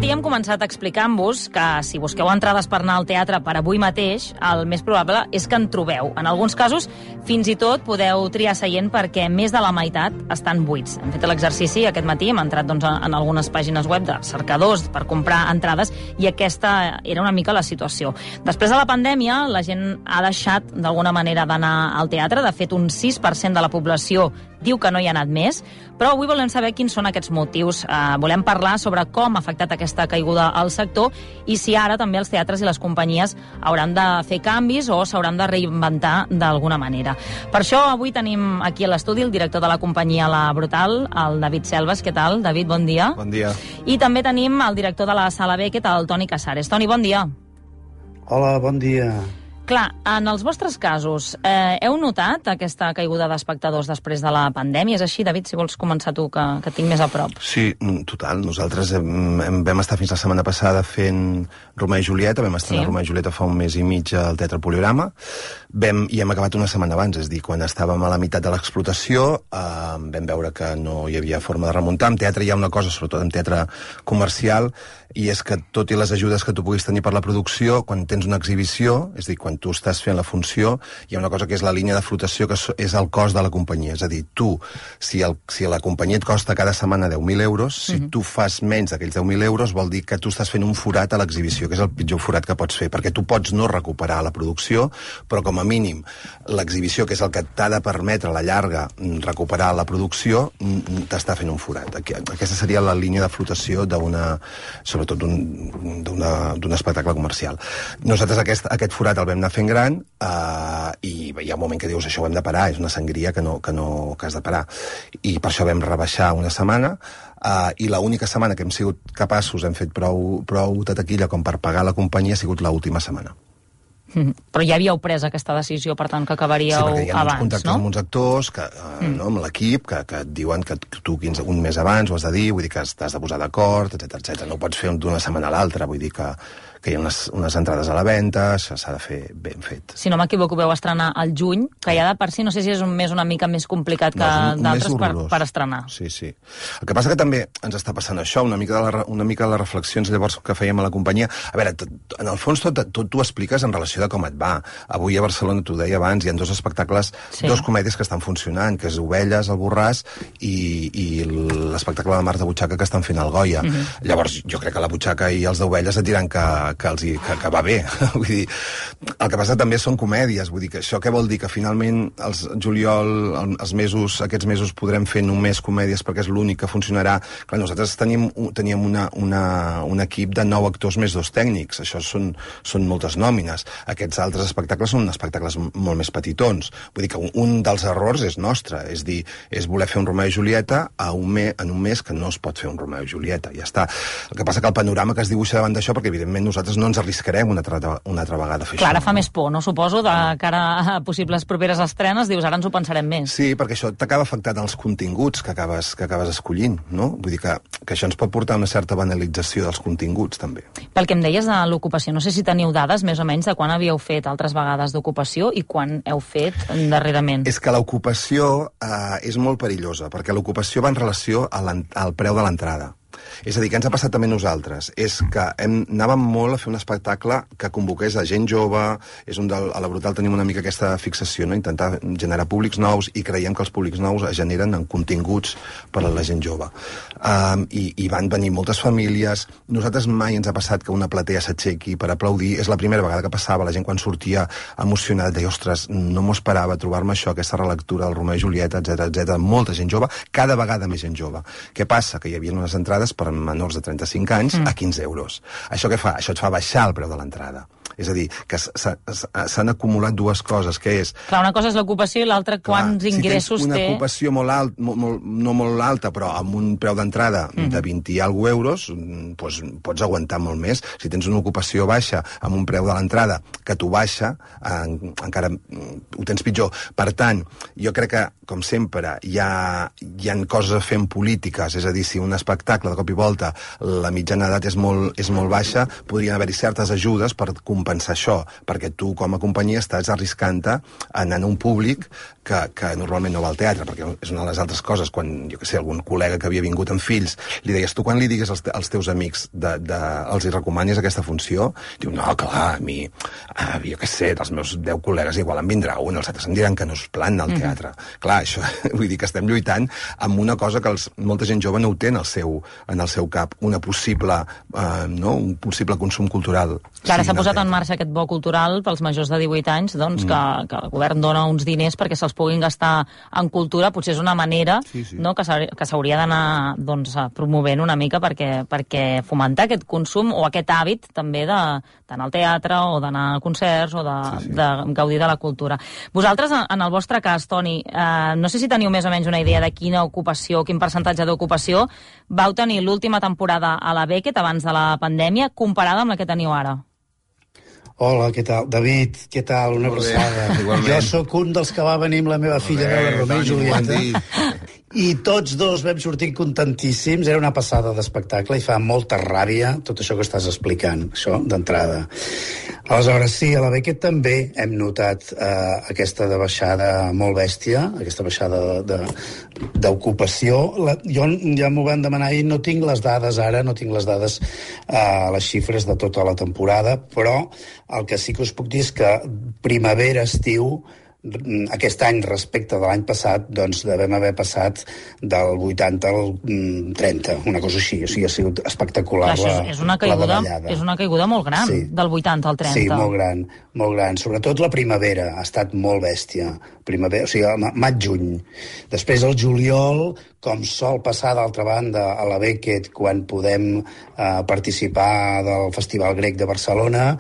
matí hem començat explicant-vos que si busqueu entrades per anar al teatre per avui mateix, el més probable és que en trobeu. En alguns casos, fins i tot podeu triar seient perquè més de la meitat estan buits. Hem fet l'exercici aquest matí, hem entrat en algunes pàgines web de cercadors per comprar entrades i aquesta era una mica la situació. Després de la pandèmia, la gent ha deixat d'alguna manera d'anar al teatre. De fet, un 6% de la població diu que no hi ha anat més, però avui volem saber quins són aquests motius. Volem parlar sobre com ha afectat aquesta caiguda al sector i si ara també els teatres i les companyies hauran de fer canvis o s'hauran de reinventar d'alguna manera. Per això avui tenim aquí a l'estudi el director de la companyia La Brutal, el David Selves. Què tal, David? Bon dia. Bon dia. I també tenim el director de la Sala B, què tal, el Toni Casares. Toni, bon dia. Hola, bon dia. Clar, en els vostres casos, heu notat aquesta caiguda d'espectadors després de la pandèmia? És així, David, si vols començar tu, que tinc més a prop. Sí, total. Nosaltres vam estar fins la setmana passada fent Romeo i Julieta, vam estar a Romeo i Julieta fa un mes i mig al Teatre Poliorama, i hem acabat una setmana abans, és a dir, quan estàvem a la meitat de l'explotació, vam veure que no hi havia forma de remuntar. En teatre hi ha una cosa, sobretot en teatre comercial, i és que tot i les ajudes que tu puguis tenir per la producció, quan tens una exhibició, és a dir, quan tu estàs fent la funció, hi ha una cosa que és la línia de flotació, que és el cost de la companyia. És a dir, tu, si la companyia et costa cada setmana 10.000 euros, si tu fas menys d'aquells 10.000 euros, vol dir que tu estàs fent un forat a l'exhibició, que és el pitjor forat que pots fer, perquè tu pots no recuperar la producció, però com a mínim l'exhibició, que és el que t'ha de permetre a la llarga recuperar la producció, t'està fent un forat. Aquesta seria la línia de flotació sobretot d'un espectacle comercial. Nosaltres aquest forat el vam anar fent gran i hi ha un moment que dius això ho hem de parar, és una sangria que has de parar. I per això vam rebaixar una setmana i l'única setmana que hem sigut capaços, hem fet prou de taquilla com per pagar la companyia, ha sigut l'última setmana. Però ja havíeu pres aquesta decisió, per tant, que acabaríeu abans, no? Sí, perquè hi ha uns contactes amb uns actors, amb l'equip, que et diuen que tu un mes abans ho has de dir, vull dir que t'has de posar d'acord, etc. No ho pots fer d'una setmana a l'altra, vull dir que hi ha unes entrades a la venda, això s'ha de fer ben fet. Si no m'equivoco, veu estrenar al juny, que ja de per si, no sé si és un mes una mica més complicat que d'altres per estrenar. Sí. El que passa que també ens està passant això, una mica de les reflexions llavors que fèiem a la companyia. A veure, en el fons tot t'ho expliques en relació de com et va. Avui a Barcelona, t'ho deia abans, hi ha dos espectacles, dos comèdies que estan funcionant, que és Ovelles, el Borràs, i l'espectacle de Marta Butxaca que estan fent al Goya. Llavors, jo crec que la Butxaca i els d'Ovelles et diran que va bé. Vull dir, el que passa també són comèdies, vull dir que això què vol dir? Que finalment aquests mesos podrem fer només comèdies perquè és l'únic que funcionarà. Clar, nosaltres teníem un equip de 9 actors més 2 tècnics, això són moltes nòmines. Aquests altres espectacles són espectacles molt més petitons. Vull dir que un dels errors és nostre, és dir, és voler fer un Romeo i Julieta en un mes que no es pot fer un Romeo i Julieta, ja està. El que passa que el panorama que es dibuixa davant d'això, perquè evidentment nosaltres no ens arriscarem una altra vegada a fer això. Clar, ara fa més por, no? Suposo, de cara a possibles properes estrenes, dius, ara ens ho pensarem més. Sí, perquè això t'acaba afectant els continguts que acabes escollint, no? Vull dir que això ens pot portar a una certa banalització dels continguts, també. Pel que em deies de l'ocupació, no sé si teniu dades més o menys de quan havíeu fet altres vegades d'ocupació i quan heu fet darrerament. És que l'ocupació és molt perillosa, perquè l'ocupació va en relació al preu de l'entrada. És a dir, què ens ha passat també a nosaltres? És que anàvem molt a fer un espectacle que convoqués a gent jove, a la Brutal tenim una mica aquesta fixació, no? Intentar generar públics nous i creiem que els públics nous es generen en continguts per a la gent jove. I van venir moltes famílies. Nosaltres mai ens ha passat que una platea s'aixequi per aplaudir. És la primera vegada que passava. La gent quan sortia emocionada deia, ostres, no m'ho esperava trobar-me això, aquesta relectura del Romeo i Julieta, etc. Molta gent jove, cada vegada més gent jove. Què passa? Que hi havia unes entrades per menors de 35 anys a 15 euros. Això què fa? Això et fa baixar el preu de l'entrada. És a dir, que s'han acumulat dues coses, que és... Clar, una cosa és l'ocupació i l'altra quants ingressos té... Si tens una ocupació no molt alta, però amb un preu d'entrada de 20 i alguna euros, doncs pots aguantar molt més. Si tens una ocupació baixa amb un preu de l'entrada que t'ho baixa, encara ho tens pitjor. Per tant, jo crec que, com sempre, hi ha coses a fer en polítiques, és a dir, si un espectacle de cop i volta la mitjana d'edat és molt baixa, podrien haver-hi certes ajudes per compensar compensar això, perquè tu com a companyia estàs arriscant-te anant a un públic que normalment no va al teatre, perquè és una de les altres coses, quan, jo què sé, algun col·lega que havia vingut amb fills, li deies, tu quan li digues als teus amics els hi recomanis aquesta funció? Diu, no, clar, a mi, jo què sé, dels meus 10 col·legues igual en vindrà un, els altres em diran que no és plan al teatre. Clar, això, vull dir que estem lluitant amb una cosa que molta gent jove no ho té en el seu cap, un possible consum cultural. Clar, s'ha posat en marxa aquest bo cultural pels majors de 18 anys, doncs, que el govern dona uns diners perquè se'ls puguin gastar en cultura. Potser és una manera no, que s'hauria d'anar doncs, promovent una mica perquè fomentar aquest consum o aquest hàbit també d'anar al teatre o d'anar a concerts o de gaudir de la cultura. Vosaltres, en el vostre cas, Toni, no sé si teniu més o menys una idea de quina ocupació, quin percentatge d'ocupació vau tenir l'última temporada a la Beckett abans de la pandèmia comparada amb la que teniu ara. Hola, què tal? David, què tal? Una abraçada. Jo sóc un dels que va venir amb la meva filla a veure Romeu i Julieta. I tots dos vam sortir contentíssims. Era una passada d'espectacle i fa molta ràbia tot això que estàs explicant, això d'entrada. Aleshores, sí, a la Beckett també hem notat aquesta baixada molt bèstia, aquesta baixada d'ocupació. Jo ja m'ho van demanar i no tinc les dades ara, no tinc les dades, les xifres de tota la temporada, però el que sí que us puc dir és que primavera-estiu aquest any respecte de l'any passat doncs devem haver passat del 80 al 30, una cosa així, o sigui, ha sigut espectacular. Clar, és una caiguda molt gran, sí. Del 80 al 30. Sí, molt gran, sobretot la primavera ha estat molt bèstia, o sigui, maig-juny. Després el juliol, com sol passar d'altra banda a la Beckett quan podem participar del Festival Grec de Barcelona,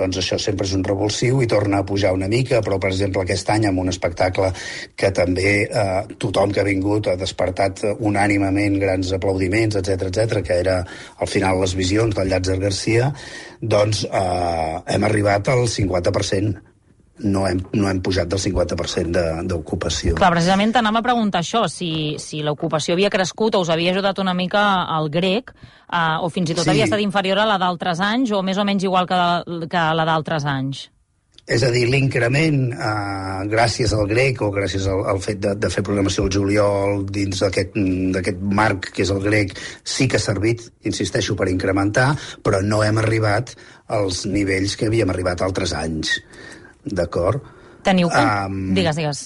doncs això sempre és un revulsiu i torna a pujar una mica, però per exemple aquest any amb un espectacle que també tothom que ha vingut ha despertat unànimement grans aplaudiments, etc, que era al final Les Visions del Llàtzer Garcia, doncs hem arribat al 50%. No hem pujat del 50% d'ocupació. Clar, precisament t'anava a preguntar això, si l'ocupació havia crescut o us havia ajudat una mica al grec, o fins i tot havia estat inferior a la d'altres anys, o més o menys igual que la d'altres anys. És a dir, l'increment, gràcies al grec o gràcies al fet de fer programació al juliol dins d'aquest marc que és el grec, sí que ha servit, insisteixo, per incrementar, però no hem arribat als nivells que havíem arribat altres anys. D'acord? Teniu Digues.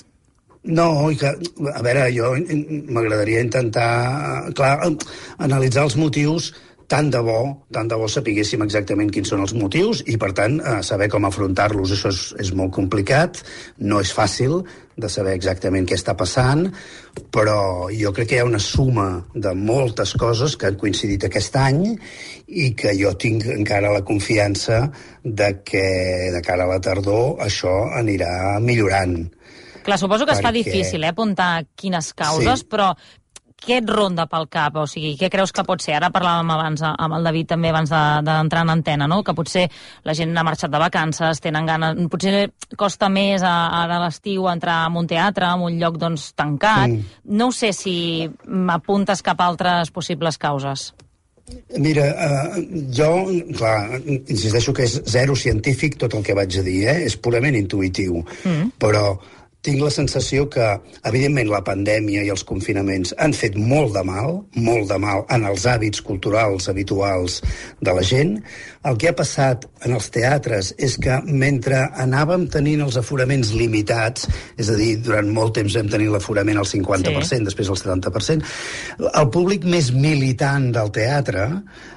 No, a veure, jo m'agradaria intentar, analitzar els motius. Tant de bo sapiguéssim exactament quins són els motius i, per tant, saber com afrontar-los. Això és molt complicat, no és fàcil de saber exactament què està passant, però jo crec que hi ha una suma de moltes coses que han coincidit aquest any i que jo tinc encara la confiança de que de cara a la tardor això anirà millorant. Clar, suposo que es fa difícil apuntar quines causes, però què et ronda pel cap? O sigui, què creus que pot ser? Ara parlàvem abans amb el David també abans d'entrar en antena, no? Que potser la gent ha marxat de vacances, tenen ganes... Potser costa més ara a l'estiu entrar en un teatre, en un lloc doncs tancat. No sé si m'apuntes cap a altres possibles causes. Mira, jo, clar, insisteixo que és zero científic tot el que vaig a dir, és purament intuïtiu, però tinc la sensació que, evidentment, la pandèmia i els confinaments han fet molt de mal en els hàbits culturals habituals de la gent. El que ha passat en els teatres és que mentre anàvem tenint els aforaments limitats, és a dir, durant molt temps vam tenir l'aforament al 50%, després al 70%, el públic més militant del teatre,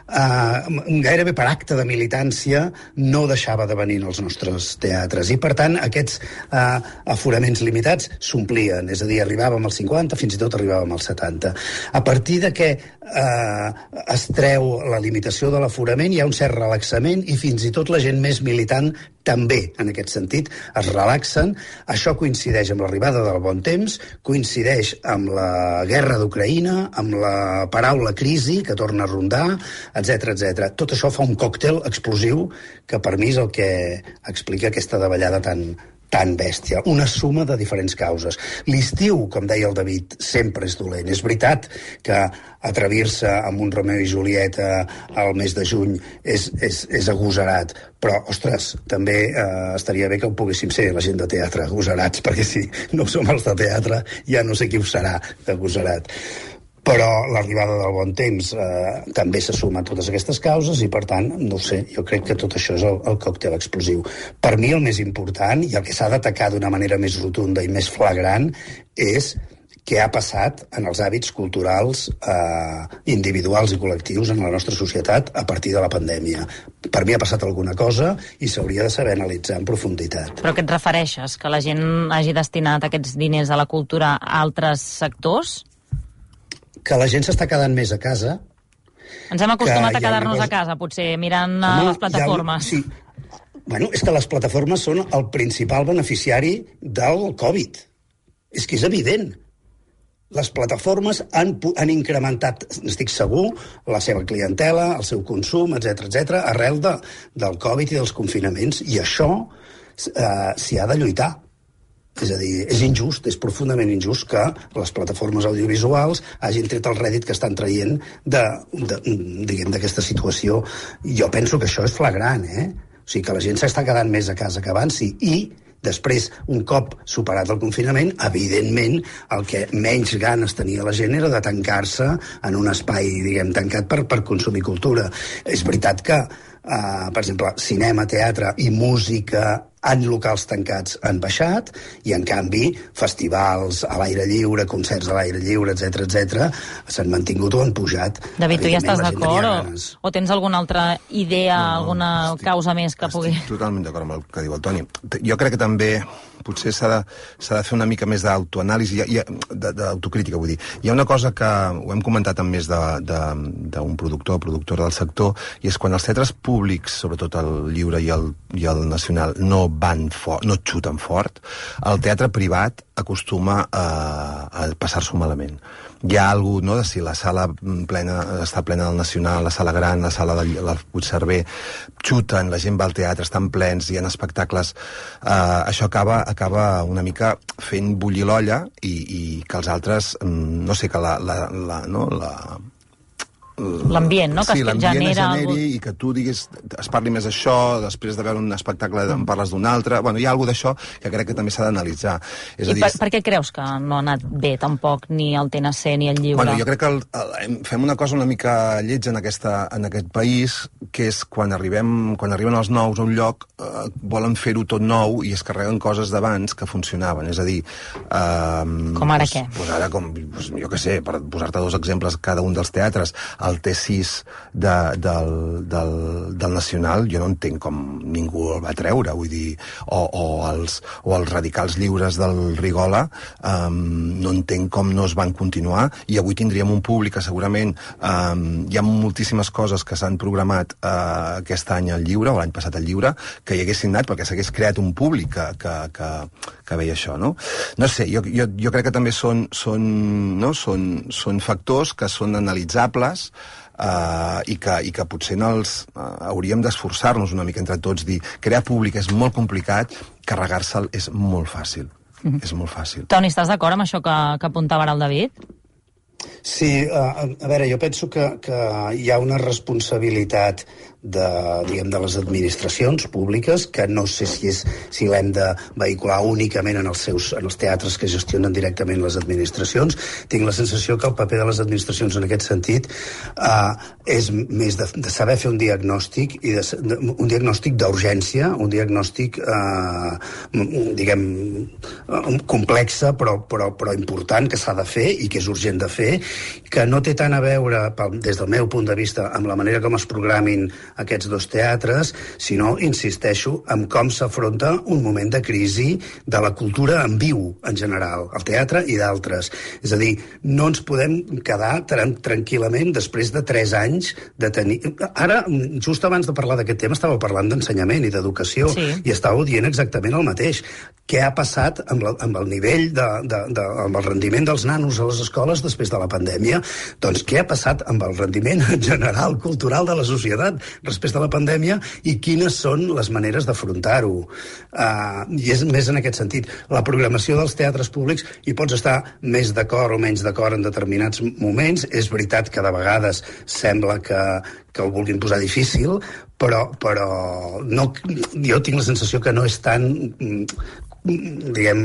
gairebé per acte de militància, no deixava de venir als nostres teatres. I, per tant, aquests aforaments limitats s'omplien, és a dir, arribàvem al 50, fins i tot arribàvem al 70. A partir de que es treu la limitació de l'aforament, hi ha un cert relaxament i fins i tot la gent més militant també, en aquest sentit, es relaxen. Això coincideix amb l'arribada del bon temps, coincideix amb la guerra d'Ucraïna, amb la paraula crisi, que torna a rondar, etc. Tot això fa un còctel explosiu que per mi és el que explica aquesta davallada tan tan bèstia, una suma de diferents causes. L'estiu, com deia el David, sempre és dolent. És veritat que atrevir-se amb un Romeu i Julieta al mes de juny és agosarat, però, ostres, també estaria bé que ho poguéssim ser, la gent de teatre, agosarats, perquè si no som els de teatre, ja no sé qui ho serà d'agosarat. Però l'arribada del bon temps també se suma a totes aquestes causes i, per tant, no ho sé, jo crec que tot això és el còctel explosiu. Per mi el més important i el que s'ha d'atacar d'una manera més rotunda i més flagrant és què ha passat en els hàbits culturals individuals i col·lectius en la nostra societat a partir de la pandèmia. Per mi ha passat alguna cosa i s'hauria de saber analitzar en profunditat. Però què et refereixes? Que la gent hagi destinat aquests diners a la cultura a altres sectors? Que la gent s'està quedant més a casa. Ens hem acostumat a quedar-nos a casa, potser, mirant les plataformes. Sí. Bueno, és que les plataformes són el principal beneficiari del Covid. És que és evident. Les plataformes han incrementat, estic segur, la seva clientela, el seu consum, etc arrel del Covid i dels confinaments. I això s'hi ha de lluitar. És a dir, és injust, és profundament injust que les plataformes audiovisuals hagin tret el rèdit que estan traient d'aquesta situació. Jo penso que això és flagrant, O sigui, que la gent s'està quedant més a casa que abans, sí. I després, un cop superat el confinament, evidentment, el que menys ganes tenia la gent era de tancar-se en un espai, tancat per consumir cultura. És veritat que, per exemple, cinema, teatre i música en locals tancats han baixat i, en canvi, festivals a l'aire lliure, concerts a l'aire lliure, etc s'han mantingut o han pujat. David, tu ja estàs d'acord o tens alguna altra idea, alguna causa més que pugui... Estic totalment d'acord amb el que diu el Toni. Jo crec que també potser s'ha de fer una mica més d'autoanàlisi, d'autocrítica, vull dir. Hi ha una cosa que ho hem comentat amb més d'un productora del sector, i és quan els teatres públics, sobretot el lliure i el nacional, no xuten fort, el teatre privat acostuma a passar-s'ho malament. Hi ha alguna cosa, no?, de si la sala està plena del Nacional, la sala gran, la sala del Puigcerver, xuten, la gent va al teatre, estan plens, hi ha espectacles... Això acaba una mica fent bullir l'olla i que els altres, no sé, que l'ambient, no?, que sí, es l'ambient genera... I que tu diguis, es parli més d'això, després de veure un espectacle en parles d'un altre... Bueno, hi ha alguna d'això que crec que també s'ha d'analitzar. I per què creus que no ha anat bé tampoc ni el TNC ni el lliure? Bueno, jo crec que fem una cosa una mica lletja en aquest país, que és quan arriben els nous a un lloc, volen fer-ho tot nou i es carreguen coses d'abans que funcionaven. És a dir... Com ara què? Ara, jo què sé, per posar-te dos exemples cada un dels teatres, el T6 del Nacional, jo no entenc com ningú el va treure, vull dir, o els Radicals Lliures del Rigola, no entenc com no es van continuar, i avui tindríem un públic que segurament hi ha moltíssimes coses que s'han programat aquest any al Lliure, o l'any passat al Lliure, que hi haguessin anat perquè s'hagués creat un públic que veia això, no? No sé, jo crec que també són factors que són analitzables i que potser hauríem d'esforçar-nos una mica entre tots, dir, crear públic és molt complicat, carregar-se'l és molt fàcil. És molt fàcil. Toni, estàs d'acord amb això que apuntava ara el David? Sí, a veure, jo penso que hi ha una responsabilitat de les administracions públiques, que no sé si l'hem de vehicular únicament en els teatres que gestionen directament les administracions. Tinc la sensació que el paper de les administracions en aquest sentit és més de saber fer un diagnòstic, i un diagnòstic d'urgència, un diagnòstic complexa però important, que s'ha de fer i que és urgent de fer, que no té tant a veure, des del meu punt de vista, amb la manera com es programin aquests dos teatres, sinó, insisteixo, en com s'afronta un moment de crisi de la cultura en viu, en general, el teatre i d'altres. És a dir, no ens podem quedar tranquil·lament després de 3 anys de tenir... Ara, just abans de parlar d'aquest tema, estàveu parlant d'ensenyament i d'educació, sí, i estàveu dient exactament el mateix. Què ha passat amb el nivell, amb el rendiment dels nanos a les escoles després de la pandèmia? Doncs què ha passat amb el rendiment en general cultural de la societat després de la pandèmia i quines són les maneres d'afrontar-ho. I és més en aquest sentit. La programació dels teatres públics hi pots estar més d'acord o menys d'acord en determinats moments. És veritat que de vegades sembla que ho vulguin posar difícil, però no, jo tinc la sensació que no és tan, diguem,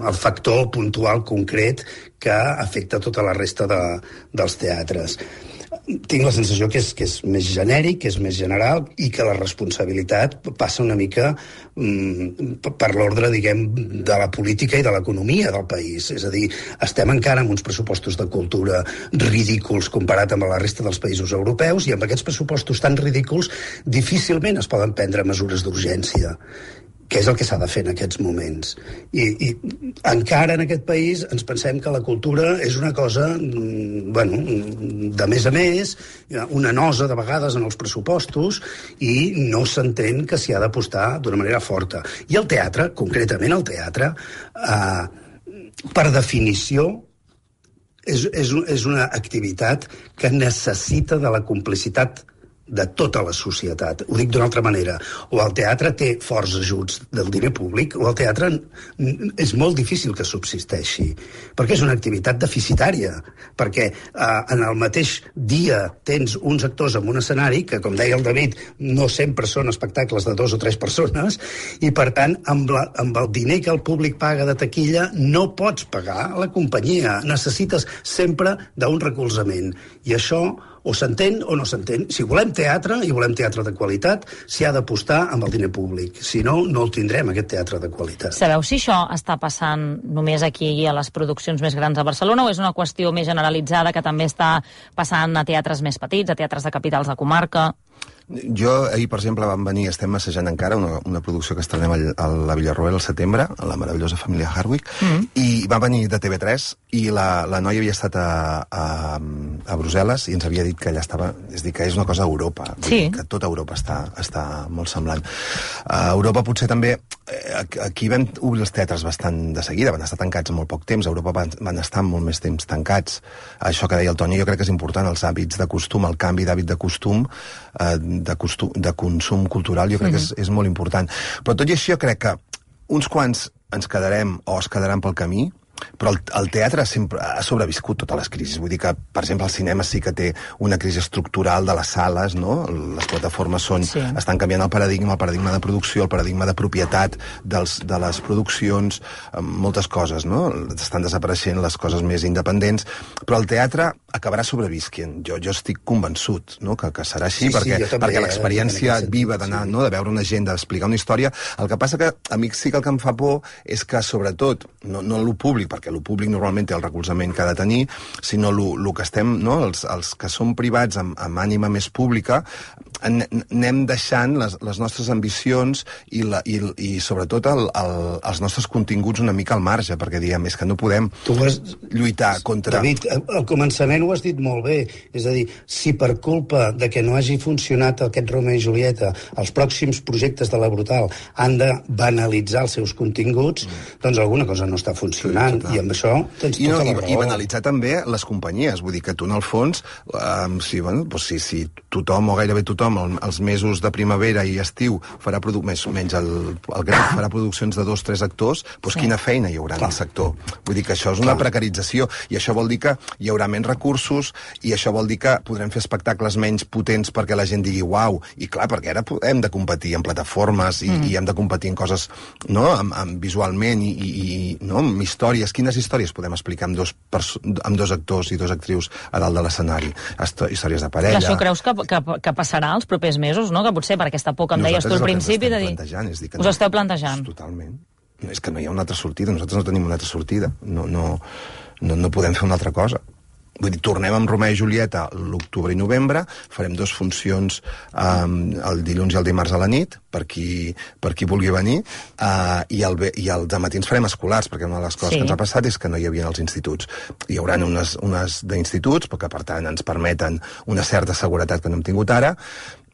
el factor puntual concret que afecta tota la resta dels teatres. Tinc la sensació que és més genèric, que és més general i que la responsabilitat passa una mica per l'ordre, diguem, de la política i de l'economia del país. És a dir, estem encara amb uns pressupostos de cultura ridículs comparat amb la resta dels països europeus i amb aquests pressupostos tan ridículs difícilment es poden prendre mesures d'urgència, que és el que s'ha de fer en aquests moments. I encara en aquest país ens pensem que la cultura és una cosa, bueno, de més a més, una nosa de vegades en els pressupostos, i no s'entén que s'hi ha d'apostar d'una manera forta. I el teatre, concretament el teatre, per definició, és una activitat que necessita de la complicitat de tota la societat. Ho dic d'una altra manera. O el teatre té forts ajuts del diner públic, o el teatre és molt difícil que subsisteixi, perquè és una activitat deficitària, perquè en el mateix dia tens uns actors en un escenari que, com deia el David, no sempre són espectacles de 2 o 3 persones, i per tant, amb el diner que el públic paga de taquilla, no pots pagar la companyia. Necessites sempre d'un recolzament. I això o s'entén o no s'entén. Si volem teatre, i volem teatre de qualitat, s'hi ha d'apostar amb el diner públic. Si no, no el tindrem, aquest teatre de qualitat. Sabeu si això està passant només aquí a les produccions més grans a Barcelona, o és una qüestió més generalitzada que també està passant a teatres més petits, a teatres de capitals de comarca? Jo, ahir, per exemple, vam venir, estem assajant encara una producció que estrenem a la Villarroel al setembre, a la meravellosa família Hardwick, i va venir de TV3, i la noia havia estat a Brussel·les i ens havia dit que allà estava... És a dir, que és una cosa a Europa. Sí. Que tota Europa està molt semblant. A Europa potser també... Aquí vam obrir els teatres bastant de seguida, van estar tancats molt poc temps, a Europa van estar molt més temps tancats. Això que deia el Toni, jo crec que és important, els hàbits de costum, el canvi d'hàbit de costum, de consum cultural, jo crec que és molt important. Però tot i així jo crec que uns quants ens quedarem o es quedaran pel camí, però el teatre sempre ha sobreviscut totes les crisis. Vull dir que, per exemple, el cinema sí que té una crisi estructural de les sales, no? Les plataformes estan canviant el paradigma de producció, el paradigma de propietat de les produccions, moltes coses, no? Estan desapareixent les coses més independents, però el teatre acabarà sobrevisquent. Jo estic convençut, no? que serà així, perquè l'experiència viva d'anar, no? de veure una gent, d'explicar una història. El que passa que a mi sí que el que em fa por és que, sobretot, no el públic, perquè el públic normalment té el recolzament que ha de tenir, sinó el que estem, no? els que som privats amb ànima més pública, anem deixant les nostres ambicions i sobretot els nostres continguts una mica al marge, perquè diem, és que no podem lluitar contra... David, al començament ho has dit molt bé, és a dir, si per culpa de que no hagi funcionat aquest Romeo i Julieta, els pròxims projectes de la Brutal han de banalitzar els seus continguts, doncs alguna cosa no està funcionant. I amb això tens tota la raó. I banalitzar també les companyies. Vull dir que tu, en el fons, si tothom, o gairebé tothom, els mesos de primavera i estiu farà menys el Grec farà produccions de 2 o 3 actors, doncs quina feina hi haurà en el sector? Vull dir que això és una precarització, i això vol dir que hi haurà menys recursos, i això vol dir que podrem fer espectacles menys potents perquè la gent digui uau, i clar, perquè ara hem de competir en plataformes i hem de competir en coses, no?, visualment i no, amb històries. Quines històries podem explicar amb 2 actors i 2 actrius a dalt de l'escenari? Històries de parella... Això creus que passarà els propers mesos, no? Que potser per aquesta por que em deies tu al principi de dir... Us esteu plantejant? Totalment. És que no hi ha una altra sortida, nosaltres no tenim una altra sortida. No podem fer una altra cosa. Vull dir, tornem amb Romeo i Julieta l'octubre i novembre, farem 2 funcions el dilluns i el dimarts a la nit, per qui vulgui venir, i els dematins farem escolars, perquè una de les coses que ens ha passat és que no hi havia els instituts. Hi haurà unes d'instituts, perquè per tant ens permeten una certa seguretat que no hem tingut ara,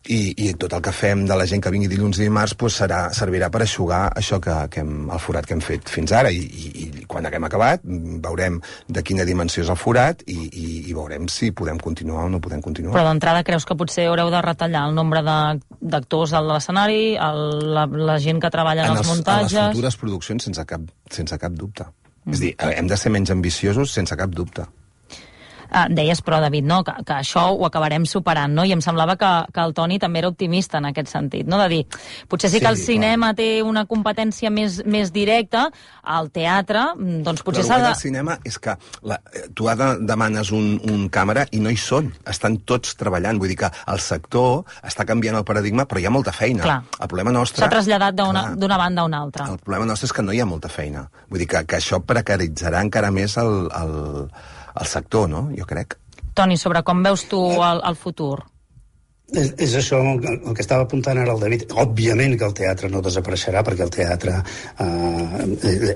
i tot el que fem de la gent que vingui dilluns i dimarts pues, servirà per eixugar això el forat que hem fet fins ara i quan haguem acabat veurem de quina dimensió és el forat i veurem si podem continuar o no podem continuar. Però d'entrada creus que potser haureu de retallar el nombre d'actors a l'escenari, la gent que treballa en els muntatges... En les futures produccions sense cap dubte. És a dir, hem de ser menys ambiciosos sense cap dubte. Deies, però, David, no? que això ho acabarem superant, no? I em semblava que el Toni també era optimista en aquest sentit, no? De dir, potser sí que el cinema té una competència més directa, al teatre, doncs potser s'ha de... El cinema és que tu demanes un càmera i no hi són, estan tots treballant, vull dir que el sector està canviant el paradigma, però hi ha molta feina. Clar. El problema nostre... S'ha traslladat d'una banda a una altra. El problema nostre és que no hi ha molta feina. Vull dir que això precaritzarà encara més el sector, no? Jo crec. Toni, sobre com veus tu el futur? És això el que estava apuntant ara el David. Òbviament que el teatre no desapareixerà, perquè el teatre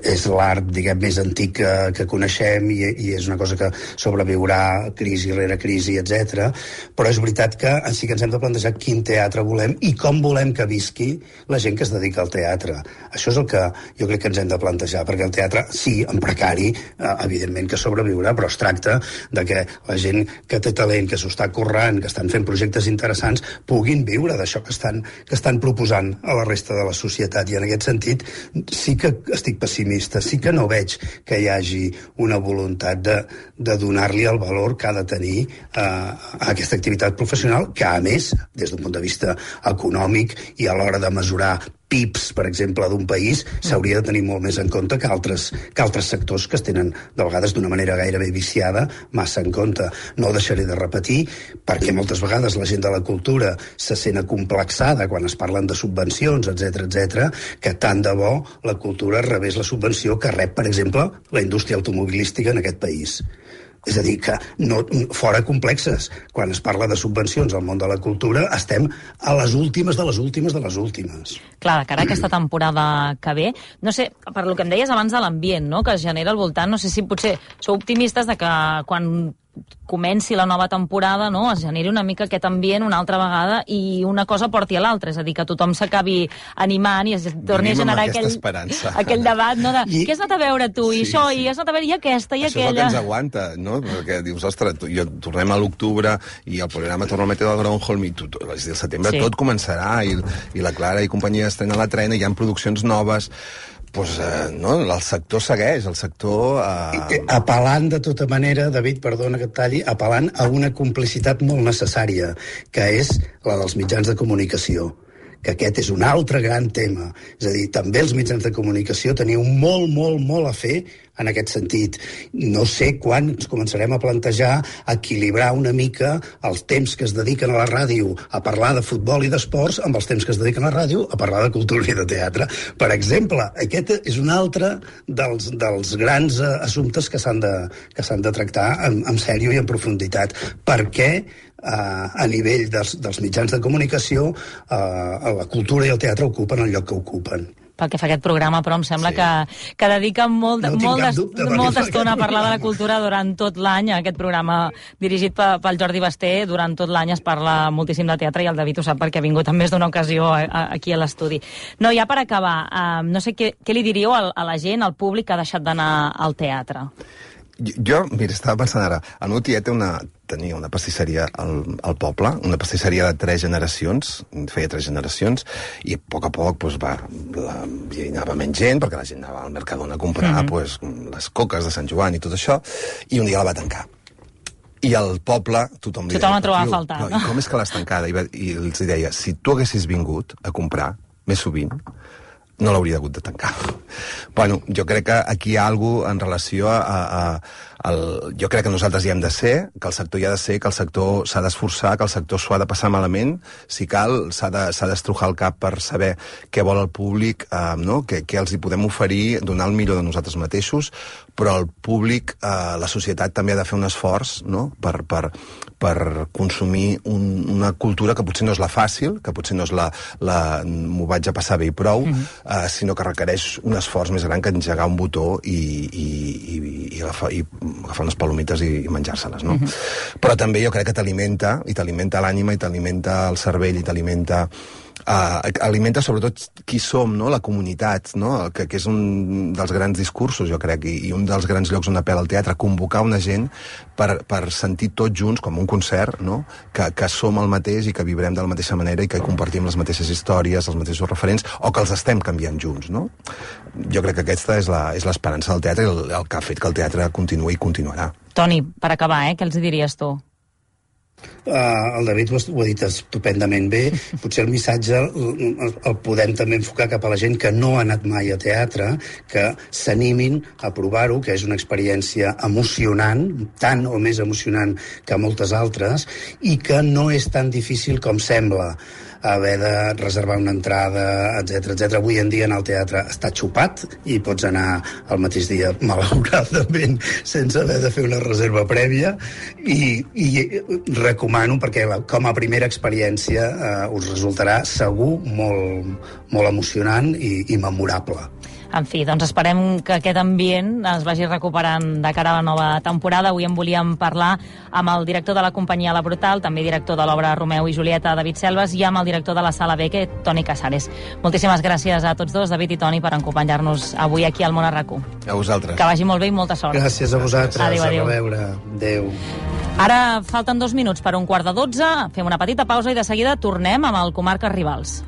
és l'art, diguem, més antic que coneixem i és una cosa que sobreviurà crisi rere crisi, etc. Però és veritat que sí que ens hem de plantejar quin teatre volem i com volem que visqui la gent que es dedica al teatre. Això és el que jo crec que ens hem de plantejar, perquè el teatre, sí, en precari, evidentment que sobreviurà, però es tracta de que la gent que té talent, que s'ho està currant, que estan fent projectes interessants, puguin viure d'això que estan proposant a la resta de la societat. I en aquest sentit sí que estic pessimista, sí que no veig que hi hagi una voluntat de donar-li el valor que ha de tenir a aquesta activitat professional, que a més, des d'un punt de vista econòmic i a l'hora de mesurar PIBs, per exemple, d'un país, s'hauria de tenir molt més en compte que altres sectors que es tenen, de vegades, d'una manera gairebé viciada, massa en compte. No ho deixaré de repetir, perquè moltes vegades la gent de la cultura se sent acomplexada quan es parlen de subvencions, etc, que tant de bo la cultura rebés la subvenció que rep, per exemple, la indústria automobilística en aquest país. És a dir, que fora complexes. Quan es parla de subvencions al món de la cultura, estem a les últimes de les últimes de les últimes. Clar, de cara a aquesta temporada que ve, no sé, per lo que em deies abans de l'ambient, no?, que es genera al voltant, no sé si potser sou optimistes de que quan comenci la nova temporada, no?, es generi una mica aquest ambient una altra vegada i una cosa porti a l'altra, és a dir, que tothom s'acabi animant i es torni a generar aquell debat, no?, de què has anat a veure tu, i això, i has anat a veure i aquesta, i aquella... Això és el que ens aguanta, no?, perquè dius, ostres, tornem a l'octubre i el programa torna a metre del Groundhog i el setembre tot començarà i la Clara i companyia estan a la trena, hi ha produccions noves... Pues, no, el sector segueix, el sector... Apel·lant de tota manera, David, perdona que et talli, apel·lant a una complicitat molt necessària, que és la dels mitjans de comunicació, que aquest és un altre gran tema. És a dir, també els mitjans de comunicació teniu molt a fer en aquest sentit. No sé quan ens començarem a plantejar equilibrar una mica els temps que es dediquen a la ràdio a parlar de futbol i d'esports amb els temps que es dediquen a la ràdio a parlar de cultura i de teatre. Per exemple, aquest és un altre dels grans assumptes que s'han de tractar en sèrio i en profunditat. Per què a nivell dels mitjans de comunicació la cultura i el teatre ocupen el lloc que ocupen? Pel que fa a aquest programa, però em sembla que dedica molta estona a parlar de la cultura durant tot l'any. Aquest programa dirigit pel Jordi Basté, durant tot l'any es parla moltíssim de teatre i el David ho sap perquè ha vingut en més d'una ocasió aquí a l'estudi. No, ja per acabar, no sé què li diríeu a la gent, al públic que ha deixat d'anar al teatre? Jo, mira, estava pensant ara, el meu tiet tenia una pastisseria al poble, una pastisseria de 3 generacions, feia 3 generacions, i a poc doncs, hi anava menys gent, perquè la gent anava al Mercadona a comprar doncs, les coques de Sant Joan i tot això, i un dia la va tancar. I al poble tothom la trobava a faltar. No? I com és que l'has tancada? I els deia, si tu haguessis vingut a comprar més sovint, no l'hauria hagut de tancar. Bueno, jo crec que aquí hi ha alguna cosa en relació jo crec que nosaltres hi hem de ser, que el sector hi ha de ser, que el sector s'ha d'esforçar, que el sector s'ho ha de passar malament, si cal, s'ha d'estrujar el cap per saber què vol el públic, no? Què els hi podem oferir, donar el millor de nosaltres mateixos, però el públic, la societat també ha de fer un esforç, no?, per consumir una cultura que potser no és la fàcil, que potser no és m'ho vaig a passar bé i prou, sinó que requereix un esforç més gran que engegar un botó i agafar unes palomites i menjar-se-les, no? Però també jo crec que t'alimenta, i t'alimenta l'ànima, i t'alimenta el cervell, i t'alimenta alimenta sobretot qui som, no? La comunitat, no? Que és un dels grans discursos, jo crec, i un dels grans llocs on apel·la el teatre, convocar una gent per sentir tots junts, com un concert, no? Que som el mateix i que vibrem de la mateixa manera i que compartim les mateixes històries, els mateixos referents, o que els estem canviant junts, no? Jo crec que aquesta és l'esperança del teatre i el que ha fet que el teatre continuï i continuarà. Toni, per acabar, què els diries tu? El David ho ha dit estupendament bé. Potser el missatge el podem també enfocar cap a la gent que no ha anat mai a teatre, que s'animin a provar-ho, que és una experiència emocionant, tant o més emocionant que moltes altres, i que no és tan difícil com sembla haver de reservar una entrada, etc. Avui en dia en el teatre està xupat i pots anar el mateix dia, malauradament, sense haver de fer una reserva prèvia, i recomano, perquè com a primera experiència us resultarà segur molt emocionant i memorable. En fi, doncs esperem que aquest ambient es vagi recuperant de cara a la nova temporada. Avui en volíem parlar amb el director de la companyia La Brutal, també director de l'obra Romeu i Julieta, David Selves, i amb el director de la Sala Beque, Toni Casares. Moltíssimes gràcies a tots dos, David i Toni, per acompanyar-nos avui aquí al Món a RAC1. A vosaltres. Que vagi molt bé i molta sort. Gràcies a vosaltres. Adéu. A reveure. Adéu. Ara falten 2 minuts per 11:45. Fem una petita pausa i de seguida tornem amb el Comarques Rivals.